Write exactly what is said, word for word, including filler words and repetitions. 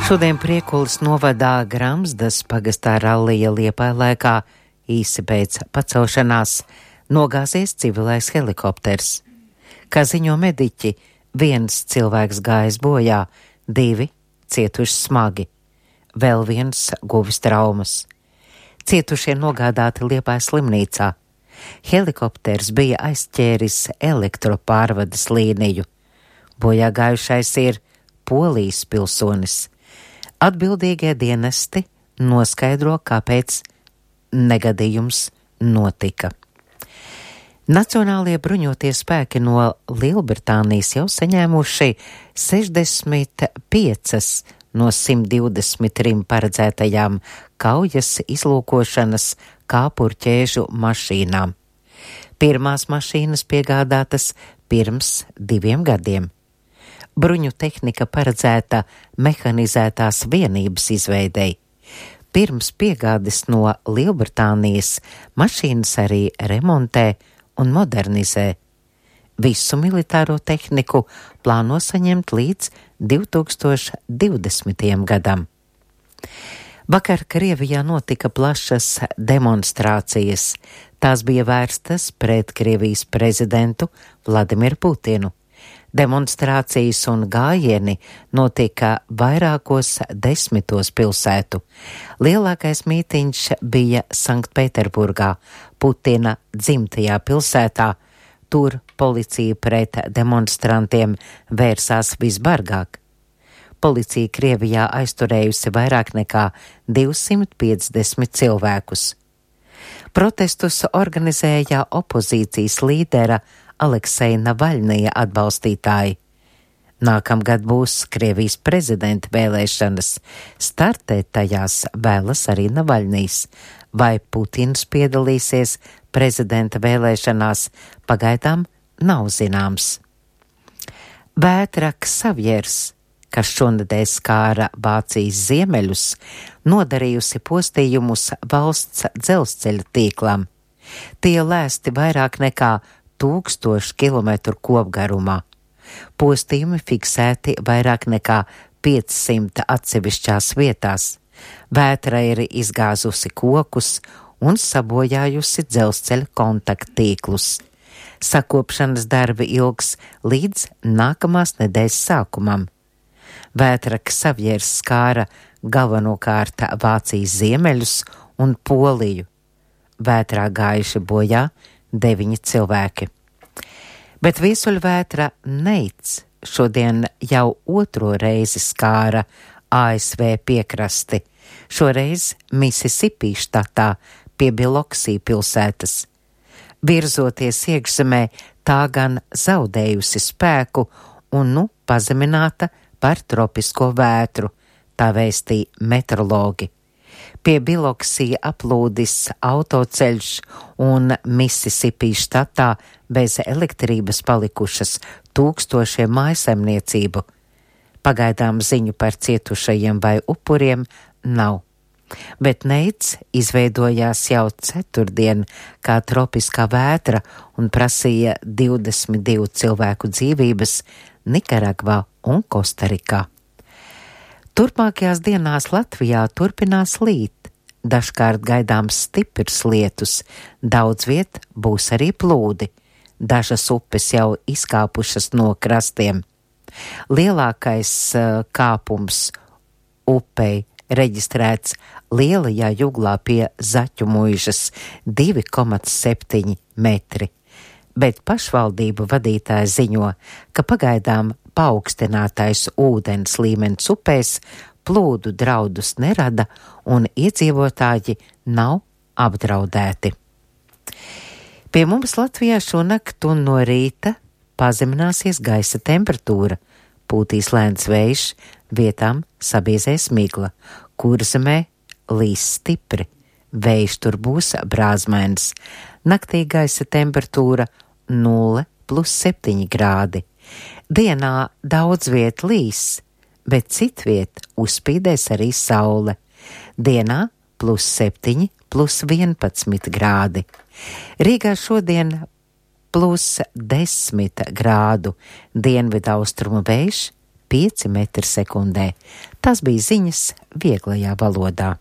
Šodien Priekulas novadā Gramsdas pagastā rallija Liepājlaikā īsi pēc pacelšanās nogāzies civilais helikopters. Kā ziņo mediķi, viens cilvēks gājis bojā, divi cietuši smagi, vēl viens guvis traumas. Cietušie nogādāti Liepājas slimnīcā. Helikopters bija aizķēris elektropārvades līniju. Bojā gājušais ir Polijas pilsonis. Atbildīgie dienesti noskaidro, kāpēc negadījums notika. Nacionālie bruņotie spēki no Lielbritānijas jau saņēmuši sešdesmit piecas no simt divdesmit trim paredzētajām kaujas izlūkošanas kāpurķēžu mašīnām. Pirmās mašīnas piegādātas pirms diviem gadiem. Bruņu tehnika paredzēta mehanizētās vienības izveidei. Pirms piegādes no Lielbritānijas mašīnas arī remontē un modernizē. Visu militāro tehniku plāno saņemt līdz divi tūkstoši divdesmitajam gadam. Vakar Krievijā notika plašas demonstrācijas. Tās bija vērstas pret Krievijas prezidentu Vladimiru Putinu. Demonstrācijas un gājieni notika vairākos desmitos pilsētu. Lielākais mītiņš bija Sanktpēterburgā, Putina dzimtajā pilsētā. Tur policija pret demonstrantiem vērsās visbargāk. Policija Krievijā aizturējusi vairāk nekā divsimt piecdesmit cilvēkus. Protestus organizēja opozīcijas līdera Alekseja Navaļnija atbalstītāji. Nākamgad būs Krievijas prezidenta vēlēšanas. Startēt tajās vēlas arī Navaļnijs. Vai Putins piedalīsies prezidenta vēlēšanās, pagaidām nav zināms. Vētra Ksavjers, kas šonedēļ skāra Vācijas ziemeļus, nodarījusi postījumus valsts dzelzceļa tīklam. Tie lēsti vairāk nekā tūkstošu kilometru kopgarumā. Postījumi fiksēti vairāk nekā piecsimt atsevišķās vietās. Vētra ir izgāzusi kokus un sabojājusi dzelzceļa kontakttīklus. Sakopšanas darbi ilgs līdz nākamās nedēļas sākumam. Vētra Ksavjers skāra galvenokārt Vācijas ziemeļus un Poliju. Vētrā gājuši bojā deviņi cilvēki. Bet viesuļvētra Neits šodien jau otro reizi skāra A S V piekrasti, šoreiz Misisipi štatā pie Biloksī pilsētas. Virzoties iekšzemē, tā gan zaudējusi spēku un nu pazemināta par tropisko vētru, tā vēstīja meteorologi. Pie Biloksija aplūdis autoceļš un Misisipi štatā bez elektrības palikušas tūkstošiem mājasemniecību. Pagaidām ziņu par cietušajiem vai upuriem nav. Bet Neits izveidojās jau ceturtdien kā tropiskā vētra un prasīja divdesmit divu cilvēku dzīvības Nikaragvā un Kostarikā. Turpmākajās dienās Latvijā turpinās līt, dažkārt gaidāms stiprs lietus, daudz viet būs arī plūdi, dažas upes jau izkāpušas no krastiem. Lielākais uh, kāpums upei reģistrēts Lielajā Juglā pie Zaķu muižas divi komats septiņi metri, bet pašvaldību vadītāji ziņo, ka pagaidām paaugstinātais ūdens līmenis upēs plūdu draudus nerada un iedzīvotāji nav apdraudēti. Pie mums Latvijā šonakt un no rīta pazemināsies gaisa temperatūra, pūtīs lēns vējš, vietām sabiezēs migla, Kurzemē līs stipri, vējš tur būs brāzmains, naktī gaisa temperatūra nulle plus septiņi grādi. Dienā daudz viet līs, bet citviet uzspīdēs arī saule. Dienā plus septiņi plus vienpadsmit grādi. Rīgā šodien plus desmit grādu, dienvidaustrumu vējš pieci metri sekundē. Tas bija ziņas vieglajā valodā.